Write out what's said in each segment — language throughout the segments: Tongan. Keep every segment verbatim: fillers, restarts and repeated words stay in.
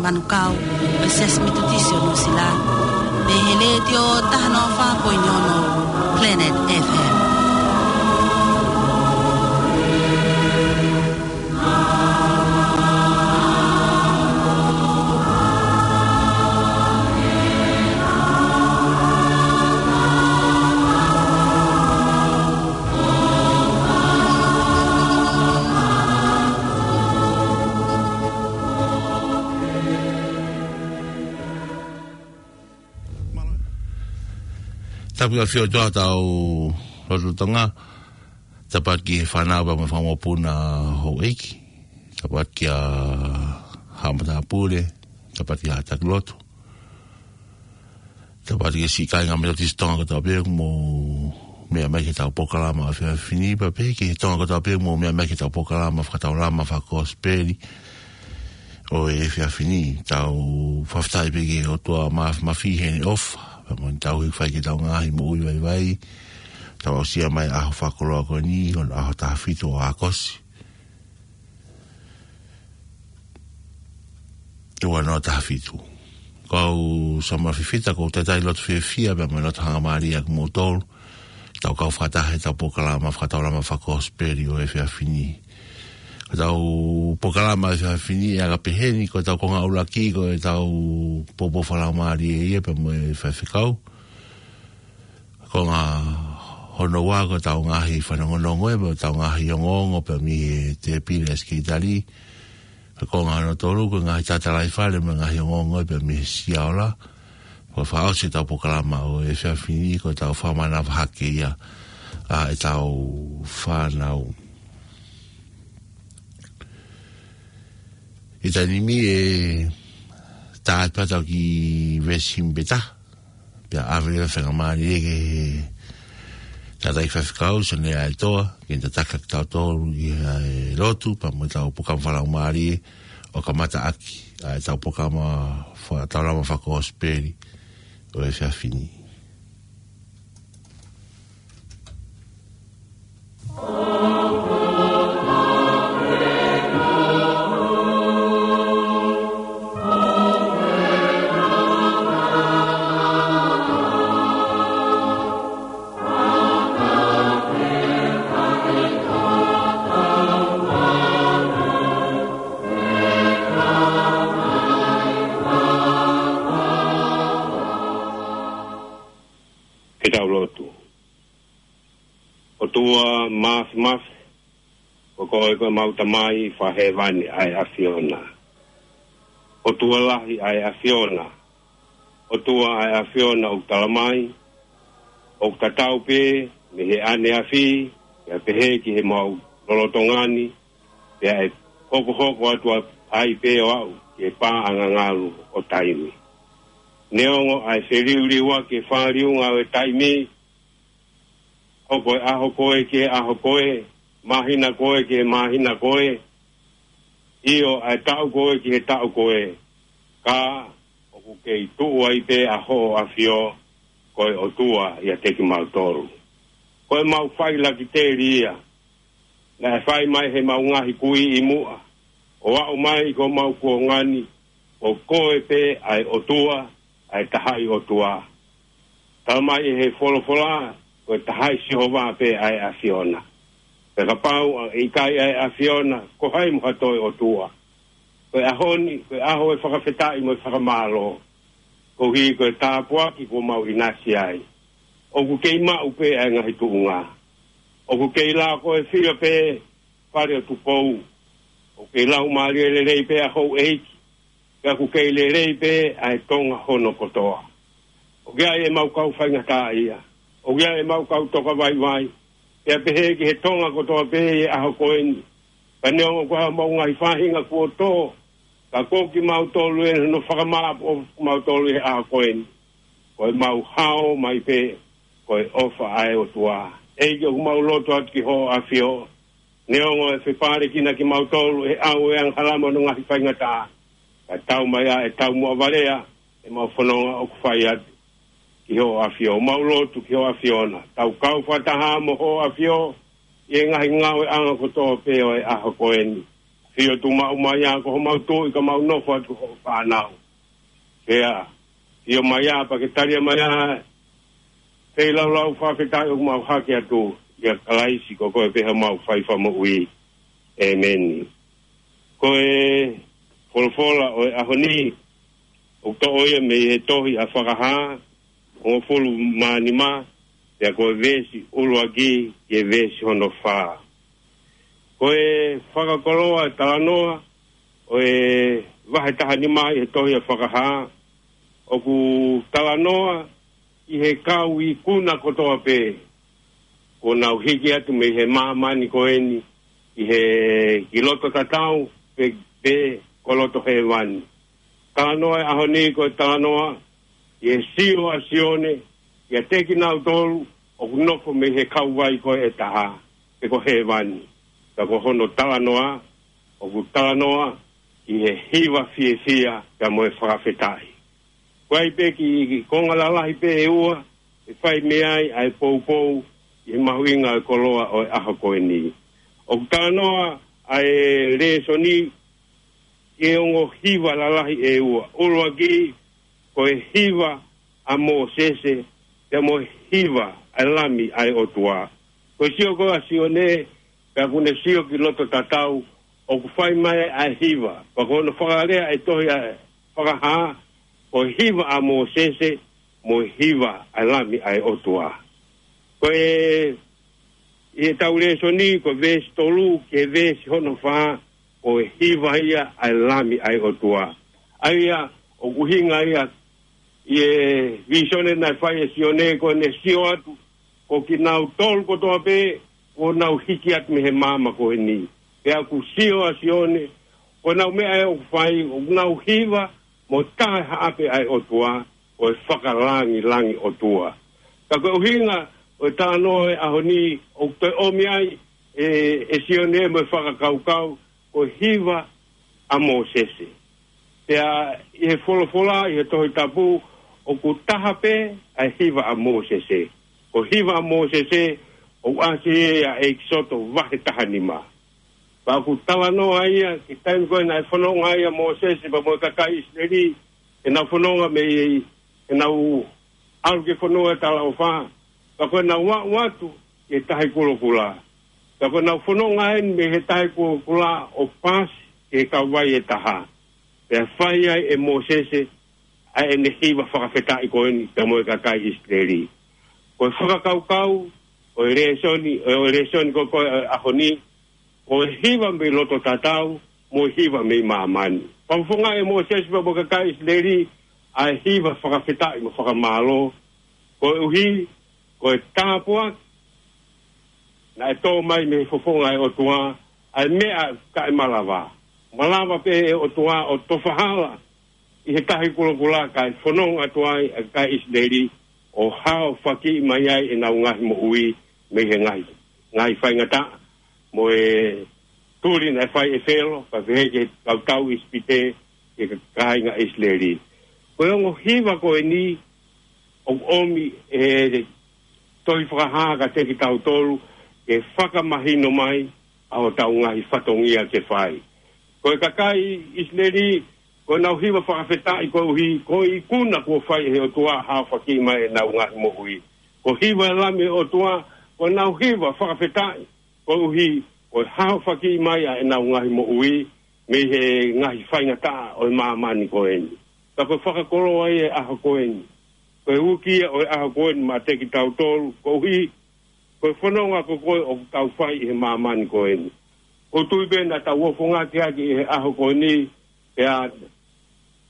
Manukau, ʻo e Siasi Metotisi ʻo Nuʻusila, mei he Letiō taha noa fā poini ono Planet F M. Tapu ʻa e ʻAfio ʻOtua ʻi hotau lotolotonga. Tapu atu ki he fānau pea mo e fanga mokopuna houʻeiki. Tapu atu kia Haʻa Matāpule. Tapu atu ki Haʻa Taki Lotu. Tapu atu ki he siʻi kāinga Metotisi Tonga kotoa pē ʻoku mou meʻa mai ki heʻetau polokalama ʻo e efiafi ni, pea pehē ki he Tonga kotoa pē ʻoku mou meʻa mai ki heʻetau polokalama fakataulama fakakosipeli ʻo e efiafi ni. Tau fakafetaʻi pē ki he ʻOtua Māfimafi heʻene ʻofa, pea mo ʻene tauhi ʻoku fai ki heʻetau ngaahi moʻui vaivai. Tau aʻusia mai e ʻaho fakakoloa ko eni, ko e ʻaho taha fitu ʻo ʻAokosi. ʻE ua noa taha fitu. Ko au Samuela Fifita, ʻoku ou talitali loto fiefia pea mo e loto hangamālie ʻa kimoutolu. Tau kau fakataha heʻetau polokalama fakataulama fakakosipeli ʻo e efiafi ni. Ko ʻetau polokalama ʻo e efiafi ni ʻe anga peheni, ko ʻetau konga ʻuluaki, ko ʻetau poupou fakalaumālie ia pea mo e faifekau. Ko e konga hono ua ko ʻetau ngaahi fanongonongo ē, pea mo ʻetau ngaahi ongoongo pē mei he tēpile ʻa e sekelitali. Ko e konga hono tolu ko e ngaahi tatalaifale mo e ngaahi ongoongo ē pē mei he siaola. Ko e fakaʻosi ʻetau polokalama ʻo e efiafi ni ko ʻetau fakamanavahake ia ʻa ʻetau fānau. ʻI he taimi ni ʻe tā atu pē ʻetau kiʻi veesi himi pē taha. Pea ʻave leva e faingamālie ki he tangataʻeiki faifekau, Sione Aitoa, ke ne tataki kitautolu ʻi he lotu, pea mo ʻetau polokalama fakalaumālie ʻo kamata ʻaki ʻa ʻetau polokalama fakataulama fakakosipeli ʻo e efiafi ni. Ke tau lotu. ʻOtua Māfimafi, ko koe ko ʻemau Tamai fakahēvani ʻa e ʻAfiona. ʻOtua lahi ʻa e ʻAfiona. ʻOtua ʻa e ʻAfiona ʻoku tala mai, ʻoku tatau pē mei he ʻaneafi, pea pehē ki he maʻu lolotonga ni, pea ʻe hokohoko atu ai pē ʻo aʻu ki he pā angangalu ʻo taimi. Neongo ʻa e feliuliuaki e fāliunga ʻo e taimi, hoko e ʻaho ko ē ki he ʻaho ko ē, māhina ko ē ki he māhina ko ē, ʻio ʻa e taʻu ko ē ki he taʻu ko ē, ka ʻoku kei tuʻu ai pē ʻa hoʻo ʻAfio, ko e ʻOtua ʻiate kimautolu. Ko ʻemau failakiteli ia, naʻe fai mai heʻemau ngaahi kui ʻi muʻa, ʻo aʻu mai ki homau kuonga ni, ko koe pē ʻa e ʻOtua, ʻa e tahaʻi ʻOtua. Tala mai ʻe he folofola, ko e tahaʻi Sihova pē ʻa e ʻAfiona. Pea kapau ʻe ʻikai ʻa e ʻAfiona, ko hai mo ha toe ʻOtua? Ko e ʻaho ni, ko e ʻaho e fakafetaʻi mo e fakamālō. Koeʻuhi ko e tāpuaki kuo mau ʻinasi ai. ʻOku kei maʻu pē ʻa e ngaahi tuʻunga. ʻOku kei lao ko e fia pē Fale ʻo Tupou. ʻOku kei laumālie lelei pē ʻa houʻeiki. Pea ʻoku kei lelei pē ʻa e Tonga hono kotoa. ʻOku ʻi ai ʻemau kau faingataʻaʻia. ʻOku ʻi ai ʻemau kau tokavaivai. Pea pehē ki he Tonga kotoa pē ʻi he ʻaho ko eni. Ka neongo ko homau ngaahi faʻahinga kuo tō, ka ko kimautolu eni hono fakamāʻopoʻopo kimautolu ʻi he ʻaho ko eni. Ko ʻemau hao mai pē, ko e ʻofa ʻa e ʻOtua. ʻEiki, ʻoku mau lotu atu ki hoʻo ʻAfio. Neongo ʻe fepālekina kimautolu ʻe he ʻau ʻo e angahala mo hono ngaahi faingataʻa, ka tau mai ā ʻe taumuʻa valea ʻemau fononga ʻoku fai atu ki hoʻo ʻAfio. Mau lotu ki hoʻo ʻAfiona. Tau kau fakataha mo hoʻo ʻAfio ʻi he ngaahi ngāueʻanga kotoa pē ʻo e ʻaho ko eni. Sio tuʻu maʻu mai ā ko homau tuʻi ka mau nofo atu ko hoʻo fānau. Pea, sio mai ā pea ke tali mai ā, feilaulau fakafetaʻi ʻoku mau hake atu, ʻia Kalaisi ko koe pē homau fai fakamoʻui. ʻEmeni. Ko e folofola ʻo e ʻaho ni, ʻoku toʻo ia mei he tohi ʻa Fakahā, hongofulu mā nima, pea ko e veesi ʻuluaki ki he veesi hono fā. Ko e fakakoloa e talanoa ʻo e vahe taha nima ʻi he tohi ʻa Fakahā, ʻoku talanoa ʻi he kau ikuna kotoa pē, kuo nau hiki atu mei he māmani ko eni, ʻi he ki loto tatau, pe, pe ko loto hēvani. Talanoa e ʻaho ni ko e talanoa, ʻi he sio ʻa Sione, ʻiate kinautolu, ʻoku nofo mei he kauvai ko ē ʻe taha, pe ko hēvani. Ka ko hono talanoa, ʻoku talanoa, ʻi he hiva fiefia, pea mo e fakafetaʻi. Ko e ʻai pē ki, ki konga lalahi pē ʻe ua, ʻe fai mei ai ʻa e poupou, ʻi he mahuʻinga e koloa ʻo e ʻaho ko eni. ʻOku talanoa ʻa e lēsoni, ki he ongo hiva lalahi ʻe ua. ʻUluaki, ko e hiva ʻa Mōsese, pea mo e hiva ʻa e Lami ʻa e ʻOtua. Ko e sio ko ē ʻa Sione, pea ʻoku ne sio ki loto tatau, ʻoku fai mai ʻa e hiva. Pea ko hono fakalea e tohi ʻa Fakahā, ko e hiva ʻa Mōsese, mo e hiva ʻa e Lami ʻa e ʻOtua. Ko e, ʻi heʻetau lēsoni, ko e veesi tolu, ki he veesi hono fā, ko e hiva ia ʻa e Lami ʻa e ʻOtua. ʻA ia, ʻoku ʻuhinga ia, ʻi he vīsone naʻe fai ʻe Sione ko ʻene sio atu, ko kinautolu kotoa pē, kuo nau hiki atu mei he maama ko eni. Pea ʻoku sio ʻa Sione, ko ʻenau meʻa ʻe ʻoku fai, ʻoku nau hiva, mo taʻe haʻape ʻa e ʻOtua, ʻo e fakalangilangi ʻOtua. Ka ko e ʻuhinga, ʻo e talanoa e ʻaho ni, ʻoku toe ʻomi ai, ʻe, ʻe Sione mo e fakakaukau, ko e hiva ʻa Mōsese. Pea ʻi he folofola, ʻi he Tohi Tapu, ʻoku taha pē ʻa e hiva ʻa Mōsese. Ko e hiva ʻa Mōsese, ʻoku ʻasi ia ʻi ʻEkisoto vahe taha nima. Pea ʻoku talanoa ia, ki he taimi ko ē naʻe fononga ai ʻa Mōsese, pea mo e kakai ʻIsileli, ʻenau fononga mei, ʻenau ʻalu ki he fonua ʻo e talaʻofa. Pea ko ʻenau aʻu atu ki he Tahi Kulokula. Pea ko ʻenau fononga eni mei he Tahi Kulokula ʻo paasi ki he kauvai ʻe taha. Pea fai ai ʻe Mōsese ʻa ʻene hiva fakafetaʻi ko eni pea mo e kakai ʻIsileli. Ko e fakakaukau, ʻo e lēsoni, ʻo e lēsoni ko ē ʻo e ʻaho ni, ko e hiva mei loto tatau, mo e hiva mei māmani. Fakafofongaʻi ʻe Mōsese pea mo e kakai ʻIsileli, ʻa e hiva fakafetaʻi mo fakamālō, koeʻuhi, ko e tāpuaki, naʻe tō mai mei he fofonga ʻo e ʻOtua, ʻa e meʻa kae malava. Malava pē ʻe he ʻOtua ʻo tofa hala, ʻi he Tahi Kulokula kae fononga atu ai ʻa e kakai ʻIsileli, ʻo haofakiʻi mai ai ʻenau ngaahi moʻui, mei he ngaahi, ngaahi faingataʻa, mo e tuli naʻe fai ʻe Felo, pea pehē ki he kau tau ʻIsipite, ki he kāinga ʻIsileli. Ko e ongo hiva ko eni, ʻoku ʻomi ʻe he tohi Fakahā kiate kitautolu, ke fakamahino mai, ʻa hotau ngaahi fatongia ke fai. Ko e kakai ʻIsileli, ko ʻenau hiva fakafetaʻi koeʻuhi, ko e ikuna kuo fai ʻe he ʻOtua haofakiʻi mai ʻenau ngaahi moʻui. Ko e hiva ʻa e Lami ʻo e ʻOtua, ko ʻenau hiva fakafetaʻi koeʻuhi, ko e haofakiʻi mai ʻa ʻenau ngaahi moʻui, mei he ngaahi faingataʻa ʻo e māmani ko eni. Ka ko e fakakoloa ia e ʻaho ko eni. Ko e uki ia ʻo e ʻaho ko eni maʻa kitautolu, koeʻuhi, ko e fononga ko ē ʻoku tau fai ʻi he māmani ko eni. ʻOku ou tui pē naʻa tau ofongaki ʻaki ʻi he ʻaho ko eni, pea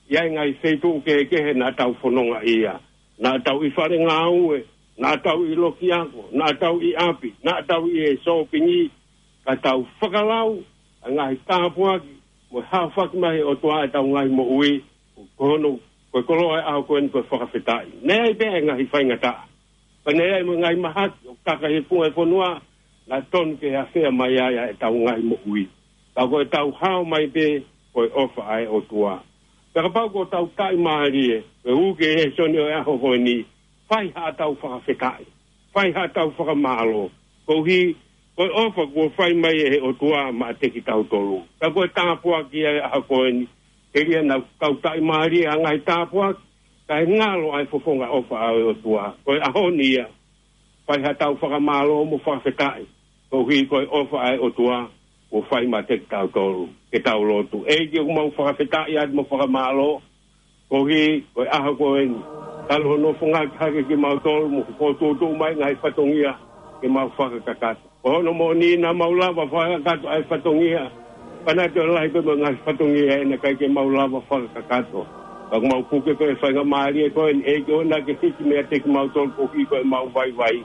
ʻi ai ngaahi feituʻu kehekehe naʻa tau fononga ia. Naʻa tau ʻi fale ngāue, naʻa tau ʻi loki ako, naʻa tau ʻi ʻapi, naʻa tau ʻi he sōpingi, ka tau fakalau, ʻa e ngaahi tāpuaki, mo e haofaki mai ʻe he ʻOtua ʻetau ngaahi moʻui, ko hono, ko e koloa e ʻaho ko eni ko e fakafetaʻi. Naʻe ʻi ai pē ʻa e ngaahi faingataʻa. Pea naʻe ʻi ai mo e ngaahi mahaki, ʻoku taka he funga e fonua, naʻe tonu ke afea mai ai ʻa ʻetau ngaahi moʻui. Ka ko ʻetau hao mai pē, ko e ʻofa ʻa e ʻOtua. Pea kapau ko ʻetau taʻimālie, ʻe uke e lēsoni ʻo e ʻaho ko eni, fai haʻatau fakafetaʻi. Fai haʻatau fakamālō. Koeʻuhi, Ko e ʻofa kuo fai mai ʻe he ʻOtua maʻa kitautolu. Ka ko e tāpuaki ʻa e ʻaho ko eni, telia naʻa tau taʻimālie ʻa e ngaahi tāpuaki, kae ngalo ʻa e fofonga ʻofa ʻa e ʻOtua. Ko e ʻaho ni ia, fai haʻatau fakamālō mo fakafetaʻi. Koeʻuhi ko e ʻofa ʻa e ʻOtua, kuo fai maʻa kitautolu. Ke tau lotu. ʻEiki, ʻoku mau fakafetaʻi atu mo fakamālō. Koeʻuhi ko e ʻaho ko eni, talu hono fungaki hake kimautolu mo fokotuʻutuʻu mai ngaahi fatongia ke mau fakakakato. Ko hono moʻoni naʻa mau lava fakakakato ʻa e fatongia. Pea naʻe toe lahi pē mo e ngaahi fatongia ʻe naʻe ʻikai ke mau lava fakakakato. Ka ʻoku mau puke ko e faingamālie ko eni, ʻEiki, ʻoua naʻa ke hiki meiate kimautolu koeʻuhi ko ʻemau vaivai.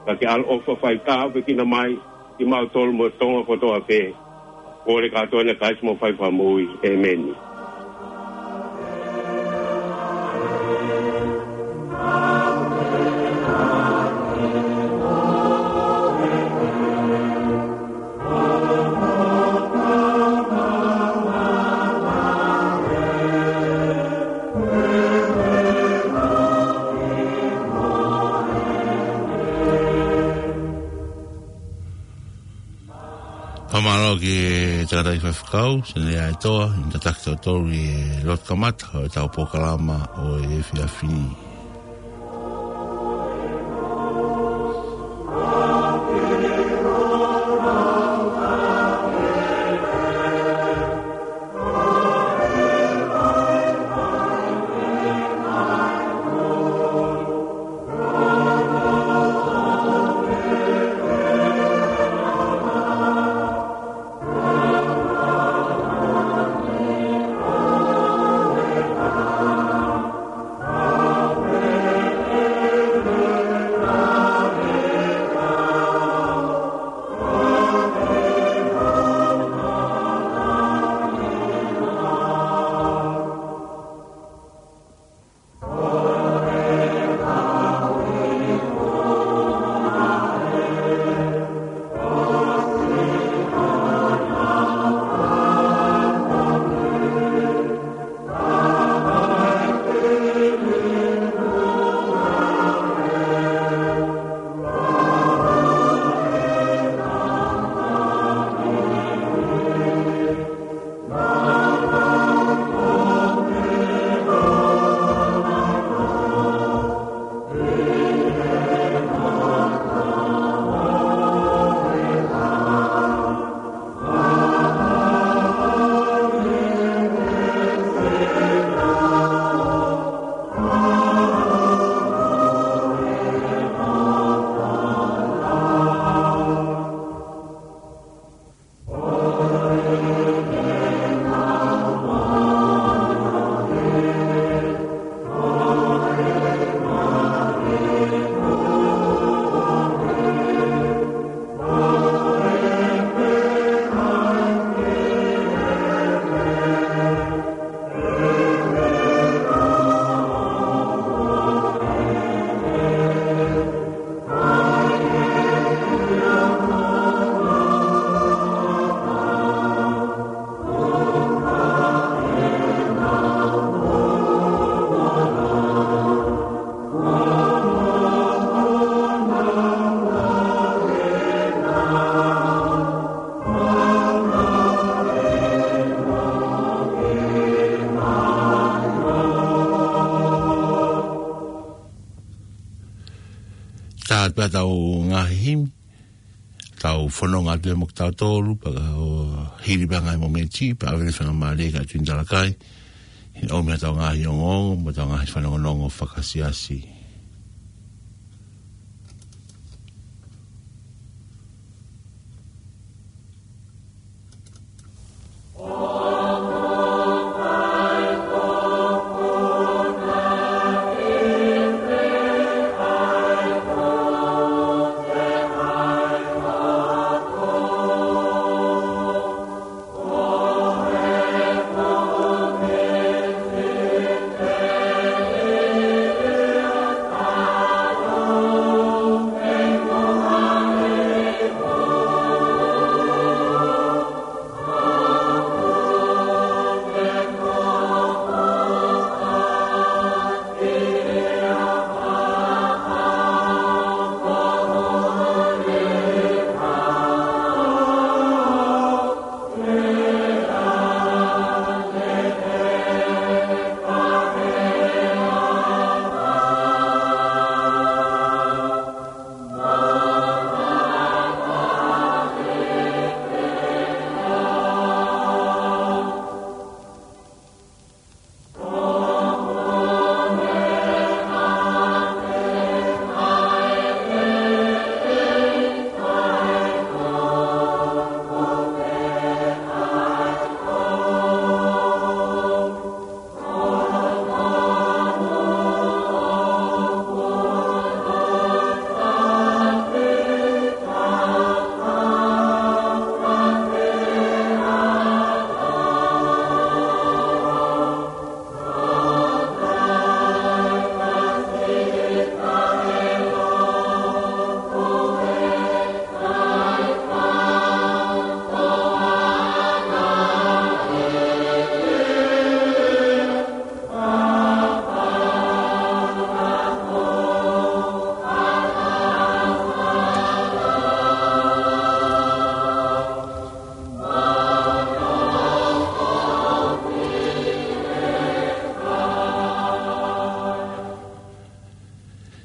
Ka ke ʻaloʻofa fai tāpuekina mai kimautolu mo e Tonga kotoa pē. Kole kātoa ʻia Kalaisi homau Fakamoʻui. ʻĒmeni. Fakamālō ki he tangataʻeiki faifekau, Senelea ʻAitoa, ʻi he tataki tautolu ʻi he lotu kamata ʻo ʻetau polokalama ʻo e efiafi ni. Tā atu pē ʻetau ngaahi himi, tau fononga atu mo kitautolu, pea ʻo hili pē ngaahi momeniti, pea ʻave e faingamālie kia Tuini Talakai, ʻi he ʻomi ʻetau ngaahi ongoongo, mo ʻetau ngaahi fanongonongo fakasiasi.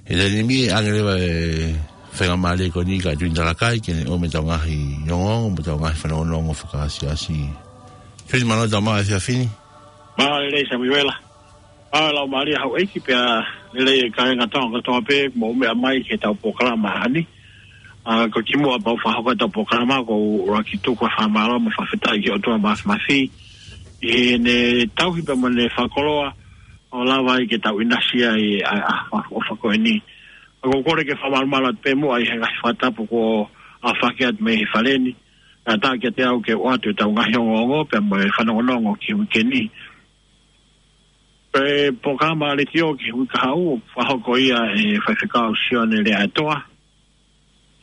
ʻI he taimi ni ʻoku ʻange leva e faingamālie ko eni kia Tuini Talakai ke ne ʻomai ʻetau ngaahi ongoongo, mo ʻetau ngaahi fanongonongo fakaasiasi. Tuini, mālō e tau maʻu e efiafi ni. Mālō e lelei Samiuela. Mālō e laumālie houʻeiki pea lelei e kāinga Tonga kotoa pē mou meʻa mai ki heʻetau polokalama ʻaho ni. ʻA, ko e kimuʻa pea u fakahoko ʻetau polokalama, ʻoku ou ʻuluaki tuku ʻa e fakamālō mo e fakafetaʻi ki he ʻOtua Māfimafi ʻi heʻene tauhi pea mo ʻene fakakoloa ʻo lava ai ke tau ʻinasi ai ʻa e ʻaho ʻofa ko eni. ʻOku ou kole ke fakamalumalu atu pē muʻa ʻi he ngaahi fakatapu kuo aofaki atu mei he fale ni. Kae ʻatā kiate au ke u ʻoatu ʻetau ngaahi ongoongo pea mo e fanongonongo ki he uike ni. Ko e polokalama letiō ki he uike kahaʻu, fakahoko ia ʻe Faifekau Sione Leaʻaetoa,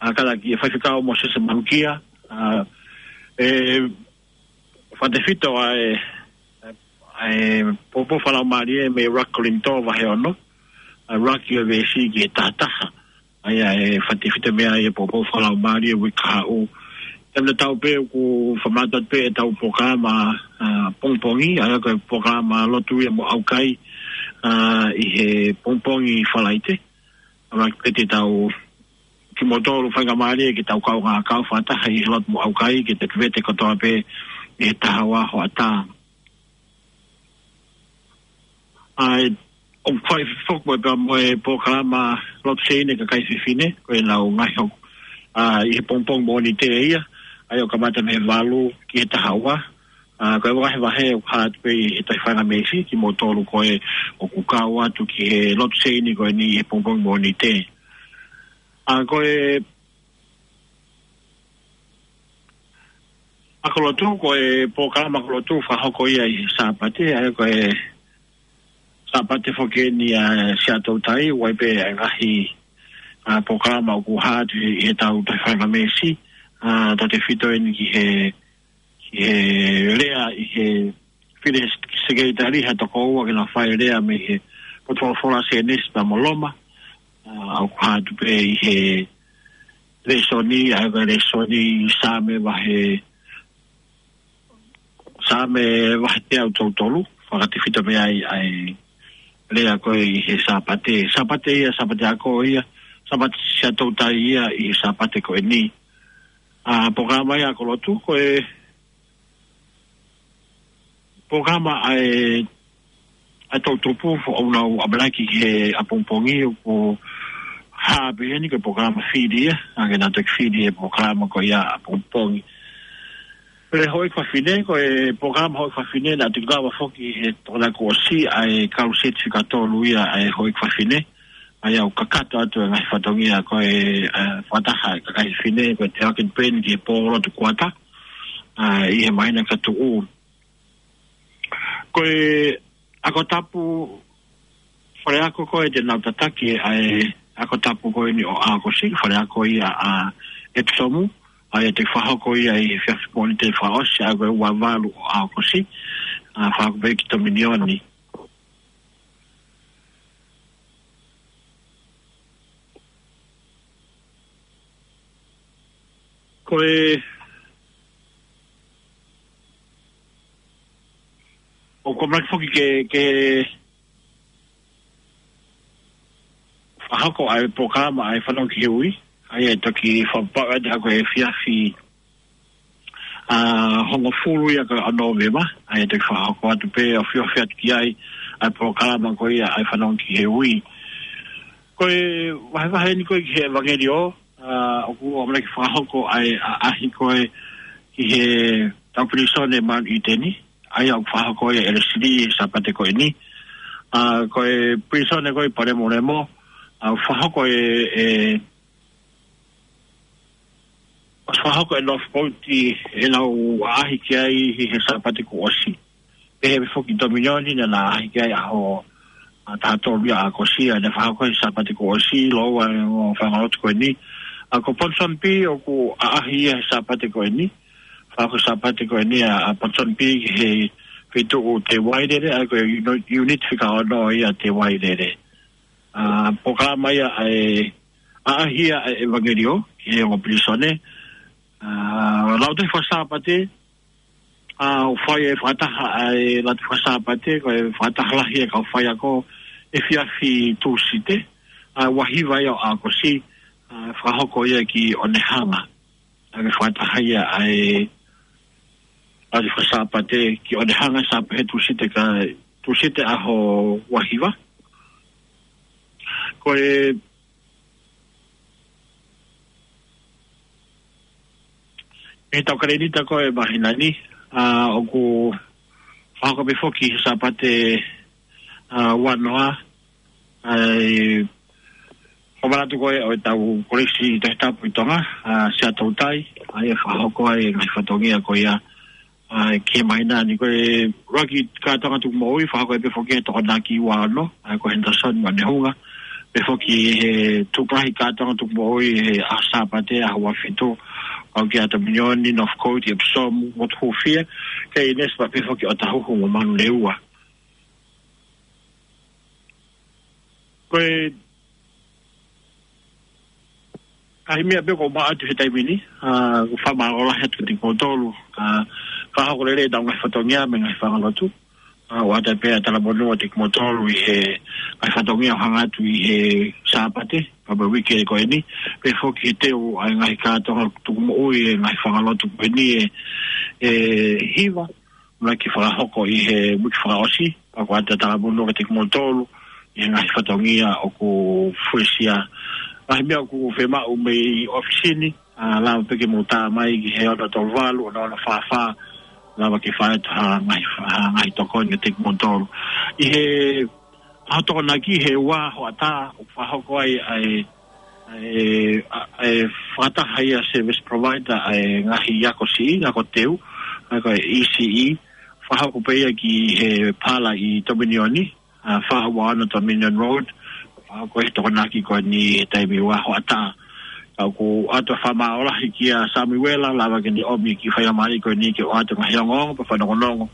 ʻa, kae ʻatā ki he Faifekau Mōsese Manukia, ʻa, ʻe fakatefito ʻa e, ʻa e poupou fakalaumālie mei he ʻUluaki Kolinitō vahe ono, ʻa, ʻuluaki ʻo e veesi ki he taha taha. ʻA ia ʻe fakatefito mei ai e poupou fakalaumālie uike kahaʻu. Taimi tatau pē ʻoku fakamātoato pē ʻetau polokalama, ʻa, pongipongi, ʻa ia ko e polokalama lotu ia mo ʻaukai, ʻa, ʻi he pongipongi Falaite. ʻA, ʻuluaki pē te tau, kimoutolu faingamālie ke tau kaungā kau fakataha ʻi he lotu mo ʻaukai, ke tau vete kotoa pē ʻi he taha ua hoʻatā. ʻA, ʻoku fai foki mo e pea mo e polokalama lotu sēini ʻa e kakai fefine, ko ʻenau ngaahi hoko, ʻa, ʻi he pongipongi Mōnite ia, ʻa ia ʻoku kamata mei he valu ki he taha ua. ʻA, ko e vahevahe ʻoku hā atu pē ʻi he taʻu faingamālie, kimoutolu ko ē ʻoku kau atu ki he lotu sēini ko eni ʻi he pongipongi Mōnite. ʻA, ko e Ako Lotu, ko e polokalama Ako Lotu fakahoko ia ʻi he Sāpate, ʻa ia ko e Sāpate foki eni ʻa Siaʻatoutai, ʻoku ʻi ai pē ʻa e ngaahi, ʻa, polokalama ʻoku hā atu ʻi he taʻu taʻu faingamālie, ʻa, tautefito eni ki he, ki he lea ʻi he fili Sekelitali ha tokoua ke na fai lea mei he potu folofola Sēnesi pea mo Loma, ʻa, ʻoku hā atu pē ʻi he lēsoni, ʻa ia ko e lēsoni Saame vahe, Saame vahe teau tolu tolu, fakatefito mei ai ʻa e lea ko ē ʻi he Sāpate. Sāpate ia, Sāpate ako ia, Sāpate Siaʻatoutai ia ʻi he Sāpate ko eni. ʻA, polokalama ia Ako Lotu, ko e polokalama ʻa e, ʻa e toʻutupu, ʻoku nau ʻamanaki ki he ʻapongipongi, ʻoku hā pē heni ko e polokalama fili ia, ʻa ia ke nau toki fili e polokalama ko ia ʻapongipongi. Pea houʻeiki fafine, ko e polokalama houʻeiki fafine, naʻa toki lava foki he tokolahi kuo ʻosi ʻa e kaluseti fika tolu ia ʻa e houʻeiki fafine, ʻa ia ʻoku kakato atu e ngaahi fatongia ko e, ʻa, fakataha e kakai fefine, ko e Te Aken Pen ki he pō lotu kuata, ʻa, ʻi he māhina ka tuʻu. Ko e ako tapu, faleako ko ē te nau tataki ʻa e ako tapu ko eni ʻo ʻAokosi, faleako ia ʻa ʻEpisomu, ʻa ia te fakahoko ia ʻi he efiafi Mōnite fakaʻosi, ʻa ia ko e ua valu ʻo ʻAokosi, ʻa, fakahoko pē ki Tominioni. Ko e, ʻoku ou ʻamanaki foki ke, ke fakahoko ʻa e polokalama ʻa e Fanongo ki he Ui, ʻa ia ʻe toki fakapapauʻi atu ko e efiafi, ʻa, hongofulu ia ko ē ʻo Nōvema, ʻa ia ʻe toki fakahoko atu pē ʻo feohi atu ki ai ʻa e polokalama ko ia ʻa e Fanongo ki he Ui. Ko e vahevahe eni ko ē ki he ʻevangeliō, ʻa, ʻoku ʻamanaki fakahoko ʻa e ʻaʻahi ko ē ki he tau pilīsone Mount Eden, ʻa ia ʻoku fakahoko ia ʻe ʻElesi Lī he Sāpate ko eni. ʻA, ko e pilīsone ko ē ʻi Palemolemo, ʻa, ʻoku fakahoko ʻe, ʻe, ʻoku fakahoko ʻe Northcote ʻenau ʻaʻahi ki ai ʻi he Sāpate kuo ʻosi. Pehē pē foki Tominioni naʻa na ʻaʻahi ki ai ʻaho, ʻa, taha tolu ia ʻo ʻAokosi, ʻa ia naʻe fakahoko he Sāpate kuo ʻosi, Loua, ʻo e ongo faʻunga lotu ko eni. ʻA, ko Ponsonby ʻoku ʻaʻahi ia he Sāpate ko eni. Fakahoko Sāpate ko eni ʻa, ʻa Ponsonby ki he feituʻu Te Wairere, ʻa ia ko e uni-, unit fika ono ia Te Wairere. ʻA, polokalama ia ʻa e ʻaʻahi ia ʻa e ʻevangeliō ki he ongo pilīsone. ʻA, Lautohi Faka-Sāpate, ʻa, ʻoku fai e fakataha ʻa e Lautohi Faka-Sāpate, ko e fakataha lahi e kau faiako, efiafi Tūsite, ʻa e ua hiva ia ʻo ʻAokosi, ʻa e fakahoko ia ki ʻOnehanga. ʻA e fakataha ia ʻa e, ʻa e faka-Sāpate ki ʻOnehanga, Sāpate Tūsite ka, Tūsite ʻaho ua hiva. Ko e ʻi heʻetau kalēnita ko e māhina ni, ʻa, ʻoku fakahoko pē foki he Sāpate, ʻa, ua noa, ʻa e, ko e manatu ko ē ʻo ʻetau Kolisi Tohitapu ʻi Tonga, ʻa, Siaʻatoutai, ʻa ia ʻe fakahoko ai e ngaahi fatongia ko ia, ʻa, ki he māhina ni. Ko e ʻuluaki kātoanga tukumoʻui, fakahoko ai pē foki he Tokonaki ua ono, ʻa ia ko Henderson Manehunga. Pehē foki he tukuahi kātoanga tukumoʻui he ʻaho Sāpate, ʻaho ua fitu, ʻa ia ko Tominioni, Northcote, Epsom, Motu Hūfia, Keʻinesi, pea pehē foki ʻOtahuhu mo Manurewa. Ko e ngaahi meʻa pē ʻoku maʻu atu he taimi ni, ʻa, ʻoku fakamālō lahi atu kiate kimoutolu, ʻa, fakahoko lelei ʻetau ngaahi fatongia mo e ngaahi fangalotu, ʻa, ʻoatu pē ʻa e talamonū kiate kimoutolu ʻi he ngaahi fatongia ʻoku hanga atu ʻi he Sāpate, pea mo e uike ko eni, pehē foki he teu ʻa e ngaahi kātoanga tukumoʻui e ngaahi fangalotu ko eni ʻe, ʻe hiva, naʻe fakahoko ʻi he uike fakaʻosi, pea ʻoatu ʻa e talamonū kiate kimoutolu ʻi he ngaahi fatongia ʻoku fuesia. Ngaahi meʻa ʻoku fiemaʻu mei ʻōfisi ni, ʻa, lava pē ke mou tā mai ki he ono tolu valu, ono ono fā fā, lava ke fai atu ha ngaahi, ha ngaahi tokoni kiate kimoutolu. ʻI he ʻaho Tokonaki he ua hoʻatā, ʻoku fakahoko ai ʻa e, ʻa e, ʻa e fakataha ia service provider ʻa e ngaahi ako siʻi, ako teu, ʻa ia ko e E C E, fakahoko pē ia ki he pala ʻi Tominioni, ʻa, fā ua ono Dominion Road, fakahoko e Tokonaki ko eni he taimi ua hoʻatā. Ka ʻoku ʻoatu ʻa e fakamālō lahi kia Samuela, lava ke ne ʻomi e kiʻi faingamālie ko eni ke ʻoatu e ngaahi ongoongo, pea fanokonongo,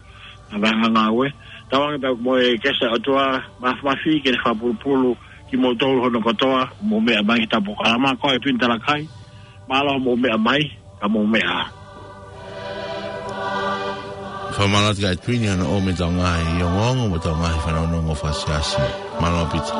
ʻa e ngāue. Tauange pea mo e kehe ʻa e ʻOtua Māfimafi ke ne fakapulupulu kimoutolu hono kotoa, mou meʻa mai ki heʻetau polokalama, ko e Pini Talakai, mālō hoʻomou meʻa mai, ka mou meʻa. Fakamālō atu kia Twini hono ʻomi ʻetau ngaahi ongoongo mo ʻetau ngaahi fanongonongo fakasiasi. Mālō Pita.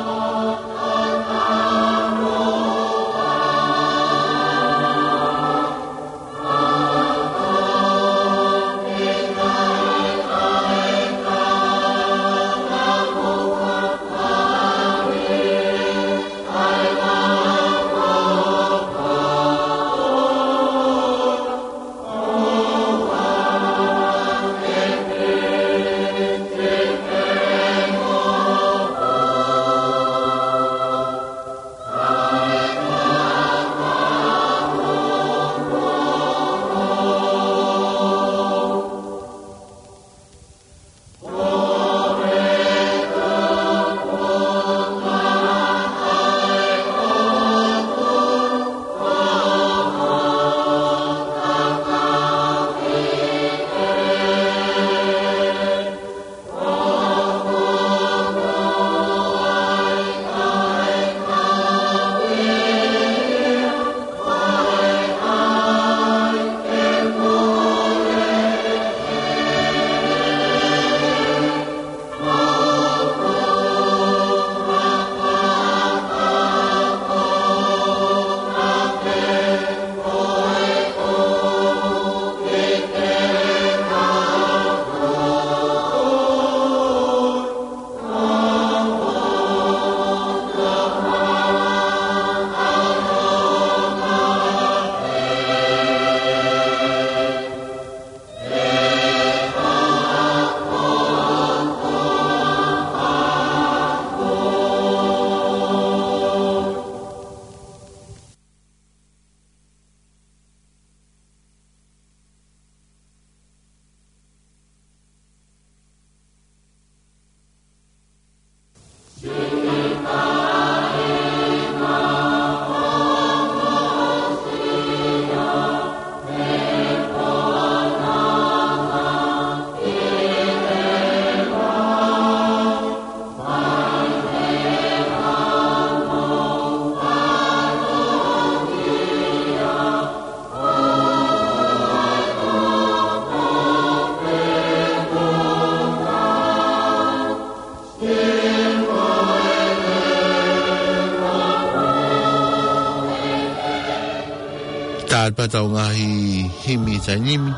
ʻAlu pē ʻetau ngaahi himi taimi ni.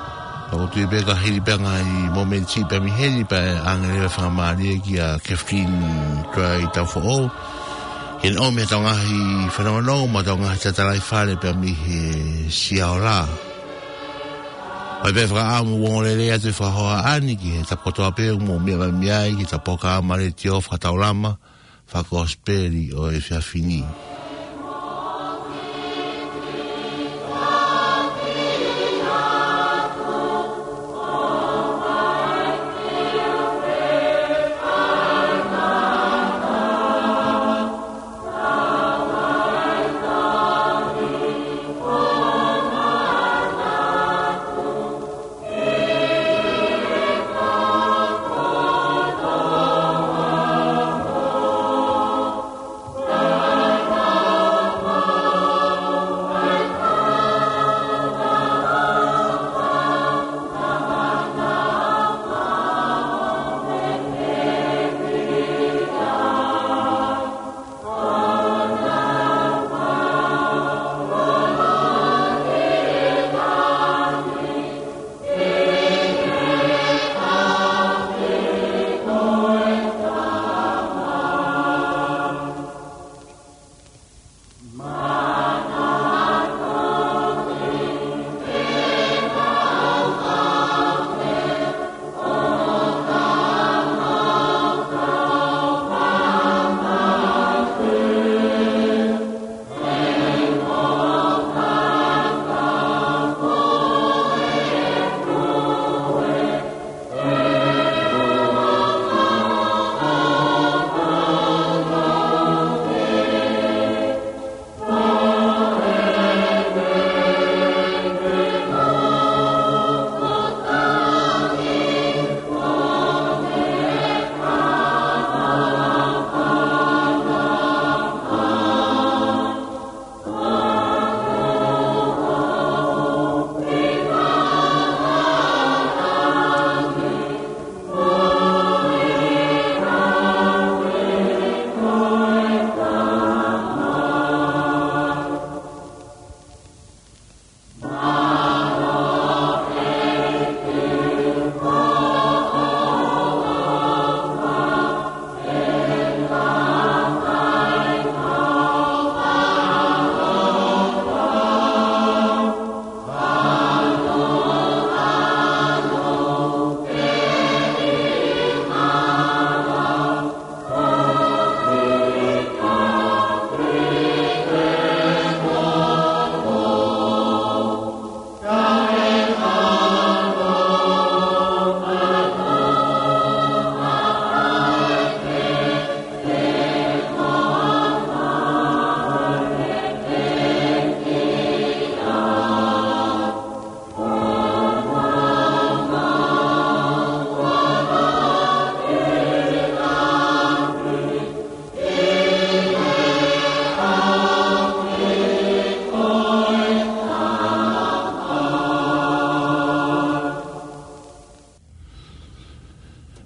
Pea ʻoku ou tui pē ka hili pē ngaahi momenti pē mei heni pea ʻe ʻange leva e faingamālie kia Kathleen Troy Tafoʻou ke ne ʻomi ʻetau ngaahi fanongonongo mo ʻetau ngaahi tatalaifale pē mei he Siaola. ʻOku ʻi ai pē fakaʻamu ʻo ongoongolelei atu e fakahohaʻa ni ki he tapu kotoa pē ʻoku mou meʻa mai ai ki heʻetau polokalama letiō fakataulama fakakosipeli ʻo e efiafi ni.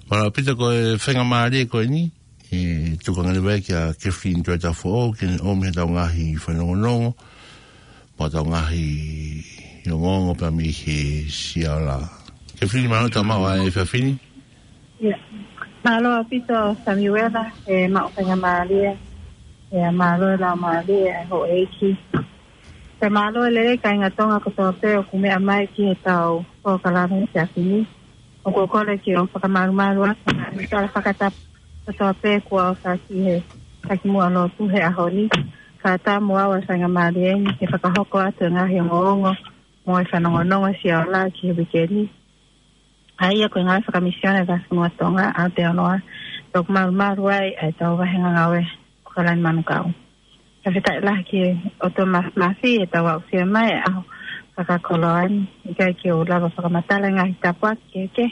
Mālō ʻaupito ko e faingamālie ko eni, ʻe tuku ange leva kia Kathleen Troy Tafoʻou ke ne ʻomi ʻetau ngaahi fanongonongo, mo ʻetau ngaahi ongoongo pē mei he Siaola. Kathleen, mālō e tau maʻu ʻa e efiafi ni. ʻIa. Mālō ʻaupito Samiuela, ʻe maʻu faingamālie, ʻe mālō e laumālie ʻa e houʻeiki. Pea mālō e lelei kāinga Tonga kotoa pē ʻoku meʻa mai ki heʻetau polokalama he efiafi ni. ʻOku ou kole ke u fakamalumalu atu ʻa e tala fakatapu kotoa pē kuo ʻofa ki he taki muʻa lotu he ʻaho ni. Kae ʻatā mo au ʻa e faingamālie ni ke fakahoko atu e ngaahi ongoongo mo e fanongonongo Siaola ki he uike ni. ʻA ia ko e ngāue fakamisiona ʻa e Vahefonua Tonga ʻAotearoa, ʻoku malumalu ai ʻa e tau vāhenga ngāue ʻo ʻAokalani Manukau. Fakafetaʻi lahi ki he ʻOtua Māfimafi ʻetau aʻusia mai e ʻaho fakakoloa ni, ʻikai ke u lava fakamatala e ngaahi tāpuaki kehekehe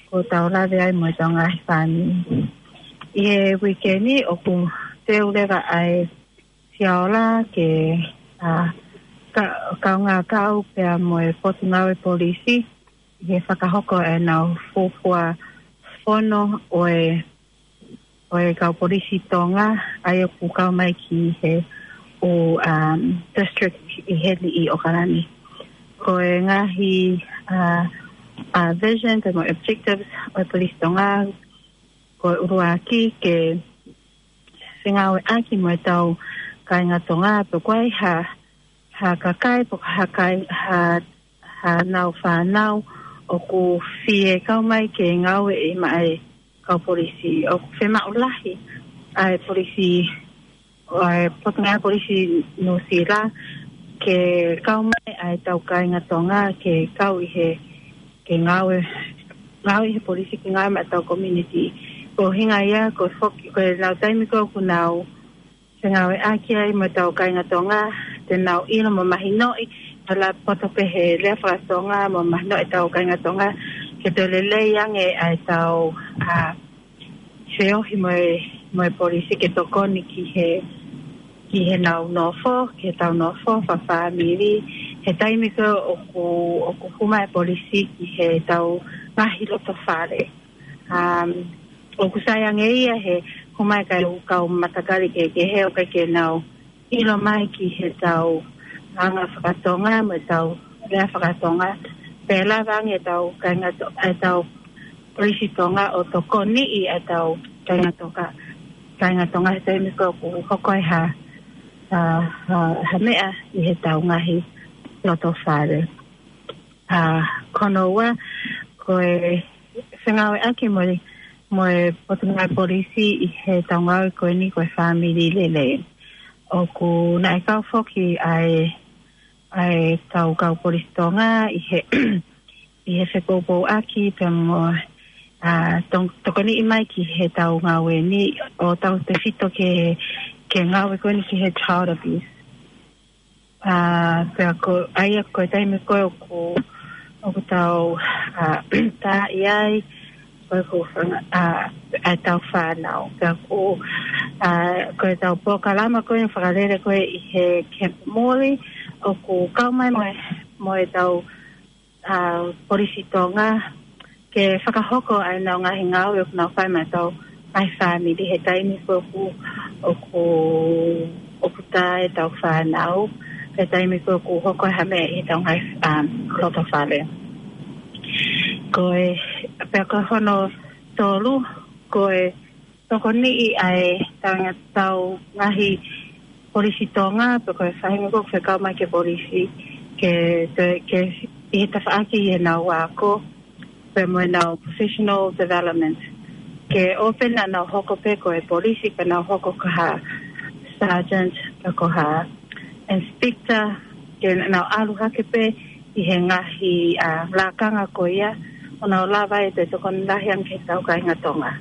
kuo tau lave ai mo ʻetau ngaahi fāmili. ʻI he uike ni ʻoku teu leva ʻa e Siaola ke, ʻa, ka-, kaungā kau pea mo e Potungāue Polisi, ʻi he fakahoko ʻenau fuofua fono ʻo e, ʻo e kau polisi Tonga, ʻa ia ʻoku kau mai ki he ʻū, um, district ʻi heni ʻi ʻAokalani. ko e ngaahi, ā, ā, vision, pe mo e objectives ʻo e Polisi Tonga, ko e ʻuluaki ke fengāueʻaki mo ʻetau kāinga Tonga, pe ko e hā, hā kakai, pe ko e hā kai-, hā, hā nau fānau ʻoku fie kau mai ke ngāueʻi maʻa e kau polisi. ʻOku fiemaʻu lahi ʻa e polisi, ʻa e Potungāue Polisi Nuʻusila ke kau mai ʻa ʻetau kāinga Tonga ke kau ʻi he, ke ngāue, ngāue ʻi he polisi ke ngāue maʻa ʻetau community. Ko e ʻuhinga ia, ko e foki, ko e lau taimi ko ē ʻoku nau fengāueʻaki ai mo ʻetau kāinga Tonga, te nau ʻilo mo mahinoʻi, ʻa e poto pē he lea fakatonga mo mahinoʻi ʻetau kāinga Tonga, ke toe lelei ange ʻa ʻetau, ā, feohi mo e, mo e polisi ke tokoni ki he, ki he nau nofo, ki heʻetau nofo fakafāmili, he taimi ko ē ʻoku, ʻoku hū mai e polisi ki heʻetau ngaahi loto fale. Um, ʻoku sai ange ia he hū mai e kau, kau matakali kehekehe ʻoku ʻikai ke nau ʻilo mai ki heʻetau anga fakatonga mo ʻetau lea fakatonga. Pea lava ange ʻetau kāinga To-, ʻetau polisi Tonga ʻo tokoniʻi ʻetau kāinga Tonga, kāinga Tonga he taimi ko ē ʻoku hoko ai ha, ha, ha, ha meʻa ʻi heʻetau ngaahi loto fale. Ā, ko hono ua, ko e fengāueʻaki mo e, mo e Potungāue Polisi ʻi heʻetau ngāue ko eni ko e fāmili lelei. ʻOku naʻe kau foki ʻa e, ʻa e kau, kau Polisi Tonga ʻi he, ʻi he fepoupouaki pea mo, ā, tong-, tokoniʻi mai ki heʻetau ngāue ni ʻo tautefito ki he, ki he ngāue ko eni ki he child abuse. Ā, pea ko, ʻa ia ko e taimi ko ē ʻoku, ʻoku tau, ā, tā ʻi ai, ko e ko fanga, ā, ʻa ʻetau fānau. Pea ko, ā, ko ʻetau polokalama ko ē fakalele ko ē ʻi he Camp Morley, ʻoku kau mai mo e, mo ʻetau, ā, Polisi Tonga, ke fakahoko ʻa ʻenau ngaahi ngāue ʻoku nau fai maʻa ʻetau ngaahi fāmili he taimi ko ē ʻoku, ʻoku, ʻoku tā ʻetau fānau, he taimi ko ē ʻoku hoko ha meʻa ʻi heʻetau ngaahi, um, loto fale. Ko e, pea ko hono tolu, ko e tokoniʻi ʻa ʻetau ngaahi Polisi Tonga, pe ko e faʻahinga ʻoku fekau mai ki he polisi, ke, ke, ke ʻi he tafaʻaki ʻi heʻenau ako, pea mo ʻenau professional development. Ke ʻoua pē naʻa nau hoko pē ko e polisi, pea nau hoko ko ha sergeant, pe ko ha inspector, ke nau ʻalu hake pē ʻi he ngaahi, ā, lakanga ko ia, ʻo nau lava ʻo toe tokoni lahi ange ki heʻetau kāinga Tonga.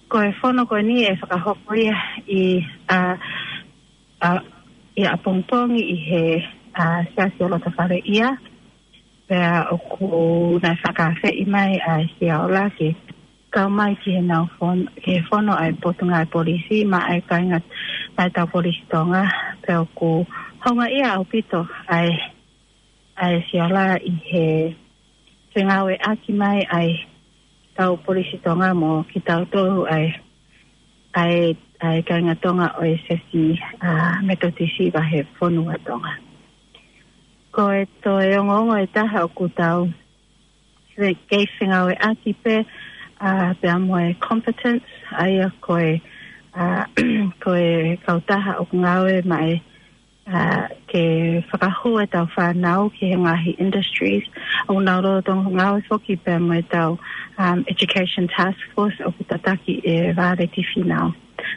Ko e fono ko eni ʻe fakahoko ia ʻi, ā, ā, ʻi ʻapongipongi ʻi he, ā, Siasi ʻo Lotofale ia. Pea ʻoku naʻe fakaafeʻi mai ʻa e Siola ke kau mai ki heʻenau fon-, ki he fono ʻa e Potungāue Polisi maʻa e kāinga, maʻa ʻetau Polisi Tonga. Pea ʻoku houngaʻia ʻaupito ʻa e, ʻa e Siola ʻi he fengāueʻaki mai ʻa ʻetau Polisi Tonga mo kitautolu ʻa e, ʻa e, ʻa e kāinga Tonga ʻo e Siasi, ā, Metotisi Vahefonua Tonga. Ko e toe ongoongo ʻe taha ʻoku tau fe-, kei fengāueʻaki pē, ā, pea mo e competence, ʻa ia ko e, ā, ko e kautaha ʻoku ngāue maʻa e, ā, ke fakahū ʻetau fānau ki he ngaahi industries. ʻOku nau lolotonga ngāue foki pea mo ʻetau, um, Education Task Force ʻoku tataki ʻe Vāleti Fīnau.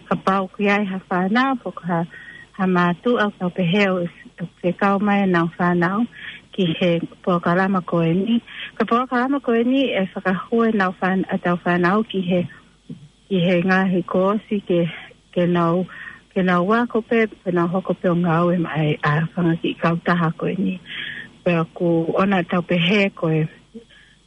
Kapau ʻoku ʻi ai ha fānau, pe ko ha, ha mātuʻa ʻoku nau pehē ʻoku fie kau mai ʻenau fānau ki he polokalama ko eni. Ko e polokalama ko eni ʻe fakahū ʻenau fān-, ʻetau fānau ki he, ki he ngaahi koosi ke, ke nau, ke nau ako pē, ke nau hoko pē ʻo ngāue maʻa e, ā, fanga kiʻi kautaha ko eni. Pea ʻoku ʻoua naʻa tau pehē ko e,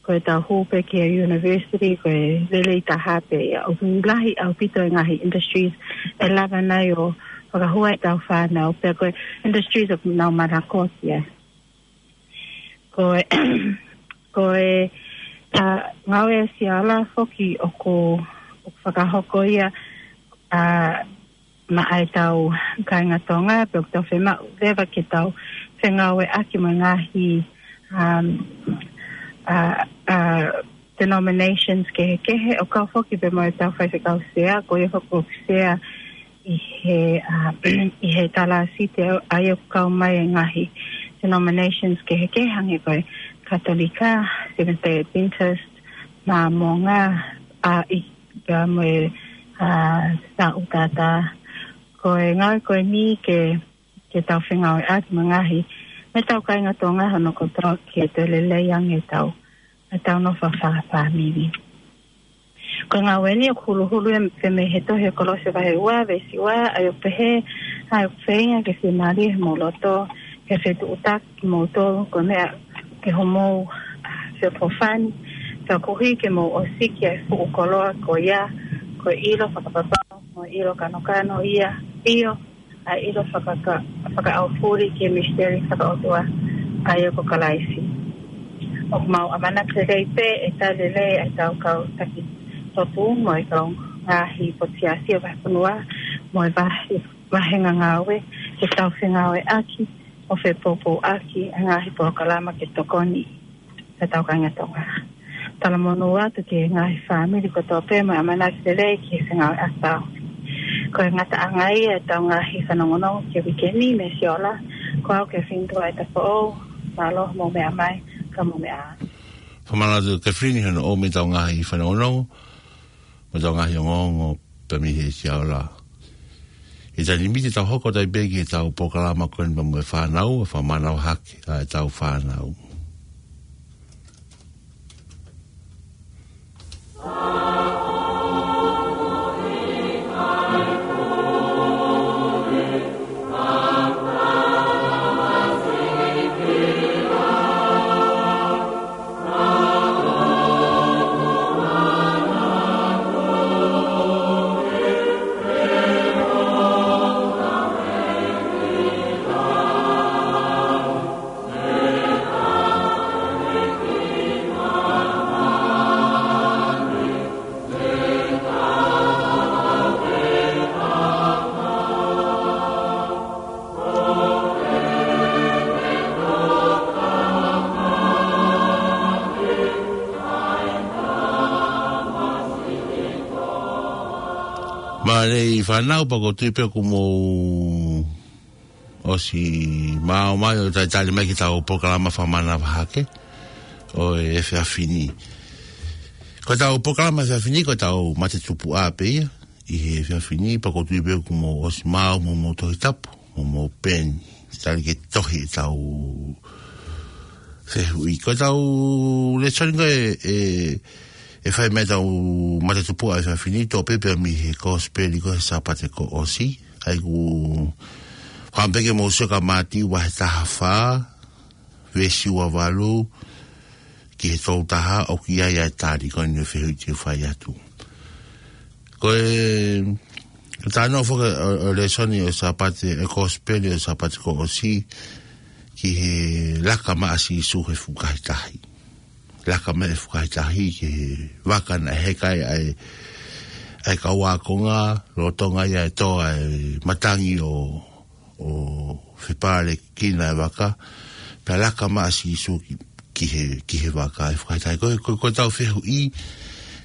ko ʻetau hū pē ki he university, ko e lelei taha pē ia. ʻOku lahi ʻaupito e ngaahi industries ʻe lava nai ʻo fakahū ai ʻetau fānau, pea ko e industries ʻoku nau manako ki ai. Ko e, ko e, ā, ngāue ʻa e Siola foki ʻoku, ʻoku fakahoko ia, ā, maʻa ʻetau kāinga Tonga, pea ʻoku tau fiemaʻu leva ke tau fengāueʻaki mo e ngaahi um, uh, uh, denominations kehekehe, ʻo kau foki pē mo ʻetau faifekau sea, ko ia foki ʻoku sea ʻi he, uh, ʻi he talāsiti ʻa ia ʻoku kau mai e ngaahi denominations kehekehe, hangē ko e Katolika, Seventh Day Adventist, Māmonga, ʻa ia pea mo e, uh, Saʻutata. Ko e ngāue ko eni ke, ke tau fengāueʻaki mo e ngaahi, mo ʻetau kāinga Tonga hono kotoa ke toe lelei ange ʻetau, ʻetau nofo fakafāmili. Ko e ngāue ni ʻoku huluhulu ia mei he tohi ʻa Kolose vahe ua, veesi ua, ʻa ia ʻoku pehē, ʻa ia ʻoku feinga ke fiemālie homou loto, ke fetuʻutaki kimoutolu, ko e meʻa ke homou, ah, feʻofoʻofani, pea koeʻuhi ke mou ʻosiki ʻa e fuʻu koloa ko ia, ko e ʻilo fakapapau, mo e ʻilo kanokano ia, ʻio, ʻa e ʻilo fakaka-, fakaʻaufuli ki he misiteli fakaʻotua, ʻa ia ko Kalaisi. ʻOku mau ʻamanaki lelei pē ʻe tali lelei ʻa ʻetau kau taki totu mo e kau ngaahi potu siasi ʻo e vahefonua mo e vahe, vahenga ngāue ke tau fengāueʻaki ʻo fepoupouʻaki ʻa e ngaahi polokalama ke tokoni ki hotau kāinga Tonga. Talamonū atu ki he ngaahi fāmili kotoa pē mo e ʻamanaki lelei ki he fengāueʻaki. Ko e ngataʻanga ia ʻetau ngaahi fanongonongo ki he uike ni mei Siola, ko au Kefini Tuʻaitafoʻou, mālō hoʻomou meʻa mai, ka mou meʻa ā. Fakamālō atu Kefini hono ʻomai ʻetau ngaahi fanongonongo, mo ʻetau ngaahi ongoongo pē mei he Siola. ʻI he taimi ni te tau hoko atu ai pē ki heʻetau polokalama ko eni pea mo e fānau, ʻa e fakamanavahake ʻa ʻetau fānau. Mālō e fānau, pea ʻoku ou tui pē ʻoku mou ʻosi maʻu mai ʻo talitali mai ki heʻetau polokalama fakamanavahake ʻo e efiafi ni. Ko ʻetau polokalama efiafi ni, ko ʻetau mate tupuʻa pē ia ʻi he efiafi ni, pea ʻoku ou tui pē ʻoku mou ʻosi maʻu mo hoʻomou tohi tapu, mo hoʻomou peni, tali ke tohi ʻetau fehuʻi. Ko ʻetau lēsoni ko ē ʻe, ʻe fai mei heʻetau mate tupuʻa efiafi ni, toʻo pē ia mei he Kosipeli ko ē he Sāpate kuo ʻosi. ʻA ia ʻoku ou fakaʻamu pē ke mou sio kia Mātiu vahe taha fā, veesi ua valu ki he tolu taha, ʻoku ʻi ai ʻa e tali ko eni ʻo e fehuʻi te u fai atu. Ko e, ko e talanoa foki ʻo, ʻo e lēsoni ʻo e Sāpate, ʻo e Kosipeli ʻo e Sāpate kuo ʻosi, ki he laka mai ʻa Sīsū he fukahi tahi. Laka mai he fukahi tahi ki he vaka naʻe heka ai ʻa e, ʻa e kau ākonga, lolotonga ia ʻe tō ʻa e matangi ʻo, ʻo fepālekina e vaka, pea laka mai ʻa Sīsū ki, ki he, ki he vaka he fukahi tahi. Ko, ko, ko ʻetau fehuʻi,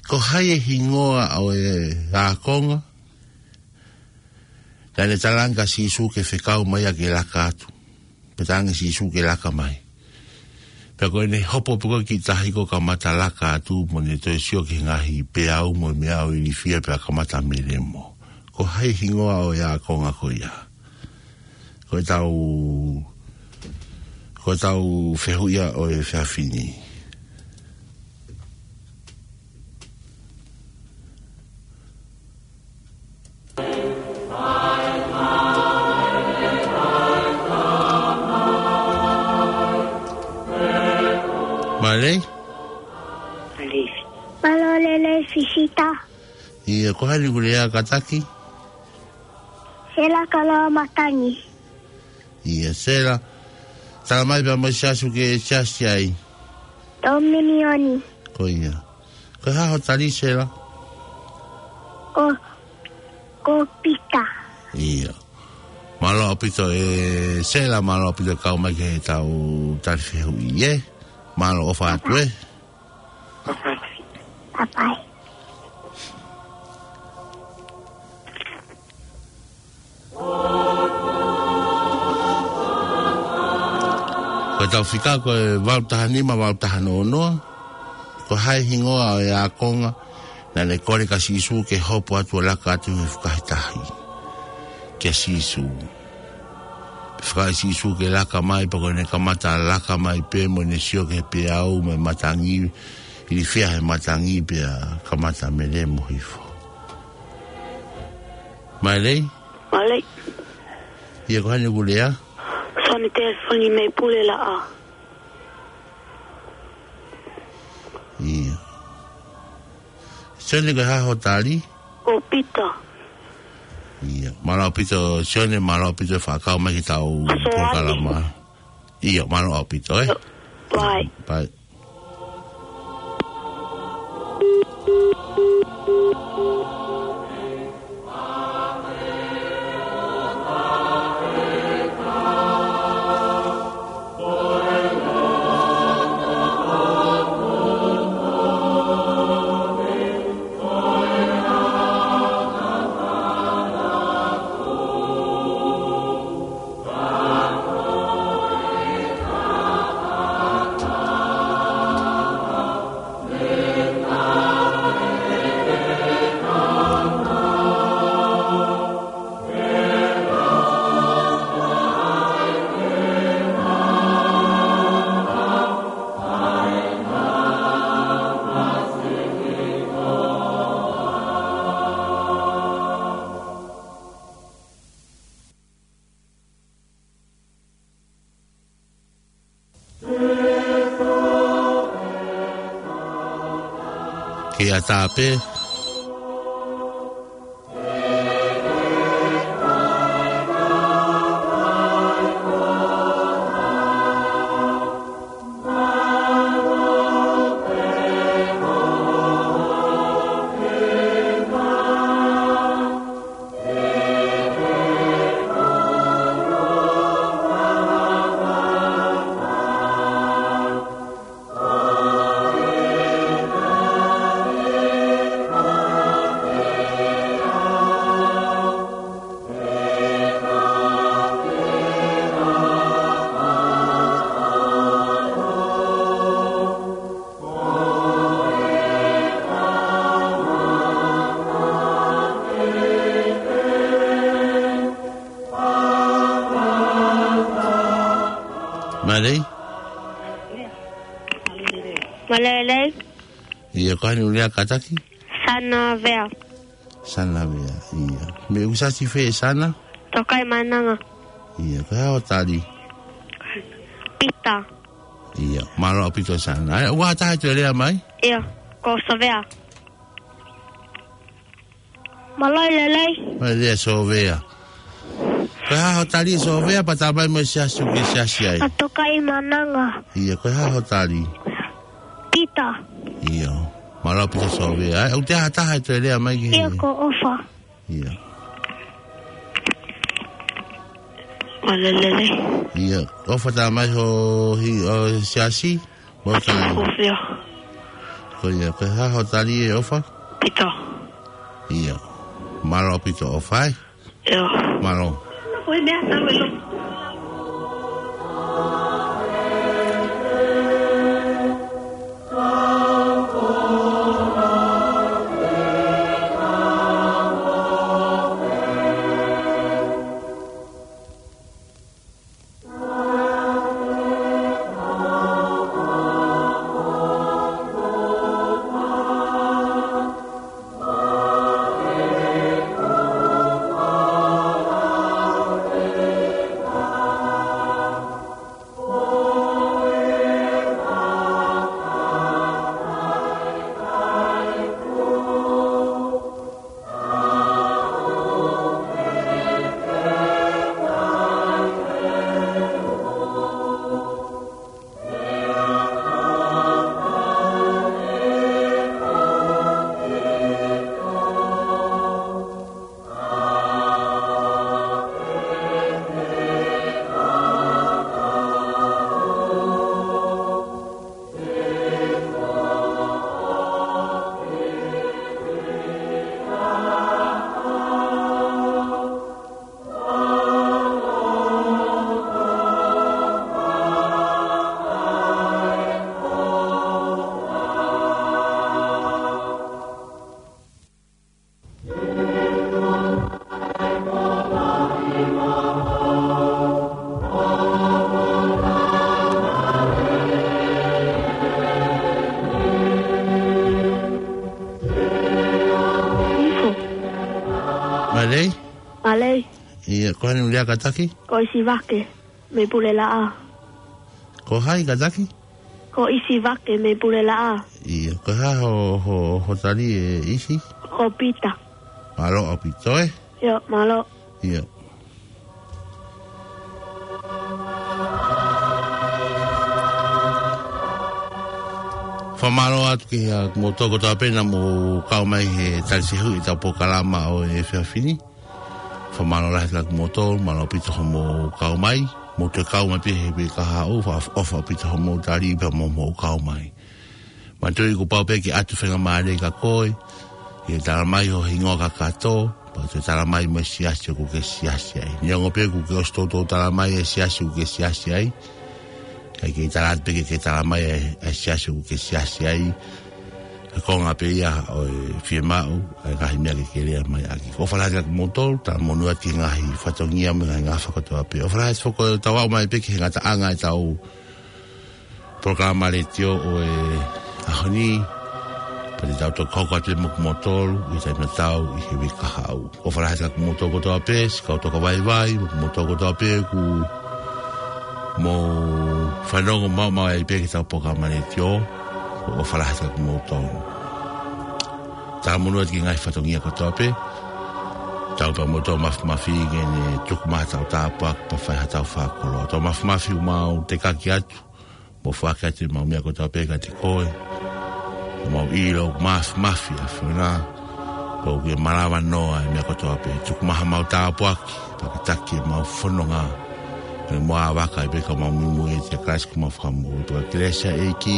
ko hai e hingoa ʻo e ākonga naʻa ne talaange kia Sīsū ke fekau mai ia ke laka atu? Pea talaange ʻe Sīsū ke laka mai. Pea ko ʻene hopo pē ko ē ki tahi kuo kamata laka atu, mo ne toe sio ki he ngaahi peau mo e meʻa ʻo ilifia pea kamata melemo. Ko hai e hingoa ʻo e ākonga ko ia? Ko ʻetau, ko ʻetau fehuʻi ia ʻo e efiafi ni. Mālō. Mālō. Mālō lelei Fisita. ʻIo, ko hai ʻoku lea kātaki? Sela Kaloamatangi. ʻIo, Sela. Tala mai pea mo e siasi ʻoku ke siasi ai. Tōminioni. Ko ia. Ko e hā hoʻo tali, Sela? Ko, ko Pita. ʻIo. Mālō ʻaupito ē Sela, mālō ʻaupito kau mai ki heʻetau tali fehuʻi, ē? Mālō ʻofa atu ē. Papai. Ko ʻetau fika ko e valu taha nima, valu taha noa noa. Ko hai hingoa ʻo e ākonga naʻa ne kole kia Sīsū ke hopo atu ʻo laka atu he fukahi tahi kia Sīsū. Pea fekau ʻe Sīsū ke laka mai, pea ko ʻene kamata laka mai pē mo ʻene sio ki he peau mo e matangi, ilifia he matangi pea kamata melemo hifo. Mālō. Mālō. ʻIo, ko hai ʻoku lea? Soni Telefoni mei Pulelaʻa. ʻIo. Sione, ko e hā hoʻo tali? Ko Pita. ʻIo. Mālō ʻaupito, Sione, mālō ʻaupito e fakakau mai ki heʻetau polokalama. ʻIo, mālō ʻaupito, ē? ʻIo. Bye. Bye. Ke ʻatā pē. Mālō. Mālō. ʻIo, ko hai ʻoku lea, kātaki? Sana Vea. Sana Vea, ʻio. Mei he siasi fē, Sana? Tokaimaʻananga. Manga. ʻIo, ko hai hoʻo tali? Pita. ʻIo, mālō ʻaupito Sana. ʻAi, ʻoku ʻi ai ha taha ʻe toe lea mai? ʻIo, ko Sovea. Mālō e lelei. Mālō e lelei Sovea. Ko hai hoʻo tali Sovea, pea tā mai mo e siasi ʻoku ke siasi ai? ʻA Tokaimaʻananga. ʻIo, ko hai hoʻo tali? Pita. ʻIo. Mālō ʻaupito Sovea. ʻAi, ʻoku ʻi ai ha taha ʻe toe lea mai ki he? ʻIo, ko ʻOfa. ʻIo. Mālō e lelei. ʻIo. ʻOfa, tā mai ho hi-, ho siasi? Mālō e tali. Sofia. Ko ia, ko hai hoʻo tali ʻe ʻOfa? Pita. ʻIo. Mālō ʻaupito ʻOfa, ē? ʻIo. Mālō. Lei? Mālō. ʻIo, ko hai ʻoku lea kātaki? Ko ʻIsivake, mei Pulelaʻā. Ko hai kātaki? Ko ʻIsivake, mei Pulelaʻā. ʻIo, ko e hā ho, ho, ho tali ʻe ʻIsi? Ko Pita. Mālō ʻaupito, ē? ʻIo, mālō. ʻIo. Fakamālō atu kiate kimoutolu kotoa pē naʻa mou kau mai he tali sehu ʻi heʻetau polokalama ʻo e efiafi ni. Fakamālō lahi kiate kimoutolu, mālō ʻaupito hoʻomou kau mai. Mou toe kau mai pē he uike kahaʻu, fakaʻofoʻofa ʻaupito hoʻomou tali pea mo hoʻomou kau mai. Manatuʻi kuo pau pē ke ʻatu faingamālie kia koe ke talamai ho hingoa kakato, pea toe talamai mo e siasi ʻoku ke siasi ai. Neongo pē kuo ke ʻosi toutou talamai e siasi ʻoku ke siasi ai, kae kei tala atu pē ke ke talamai e, e siasi ʻoku ke siasi ai. Ko e konga pē ia ʻo e fiemaʻu, ʻa e ngaahi meʻa ke ke lea mai ʻaki. ʻOfa lahi kiate kimoutolu, talamonū atu ki he ngaahi fatongia mo e ngaahi ngafa kotoa pē. ʻOfa lahi atu foki ʻetau aʻu mai pē ki he ngataʻanga ʻetau polokalama letiō ʻo e ʻaho ni, pea te tau toki hoko atu mo kimoutolu ʻi he taimi tatau ʻi he uike kahaʻu. ʻOfa lahi kiate kimoutolu kotoa pē, siʻi kau tokavaivai, mo kimoutolu kotoa pē ʻoku mou fanongo maʻu mai pē ki heʻetau polokalama letiō, ʻofa lahi kiate kimoutolu. Talamonū atu ki he ngaahi fatongia kotoa pē, tau pē mo tau mafimafi ke ne tuku mai haʻatau tāpuaki pea fai haʻatau fakakoloa. Tau mafimafi ʻoku mau tekaki atu, mo foaki atu ʻemau meʻa kotoa pē kiate koe. ʻOku mau ʻilo ʻoku mafimafi ʻa e ʻAfiona, pea ʻoku ke malava noa e meʻa kotoa pē. Tuku mai haʻamau tāpuaki, pea ke taki ʻemau fononga. Ke mau ʻāvaka ai pē ka mau muimui ʻiate Kalaisi ko homau Fakamoʻui. Pea ko e kelesi ʻa e ʻEiki,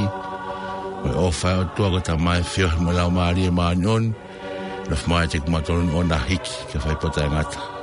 mo e ʻofa ʻa e ʻOtua ko e Tamai, feohi mo e Laumālie Māʻoniʻoni, nofo maʻu ʻiate kimautolu ʻo na hiki ke fai pē ʻo taʻengata.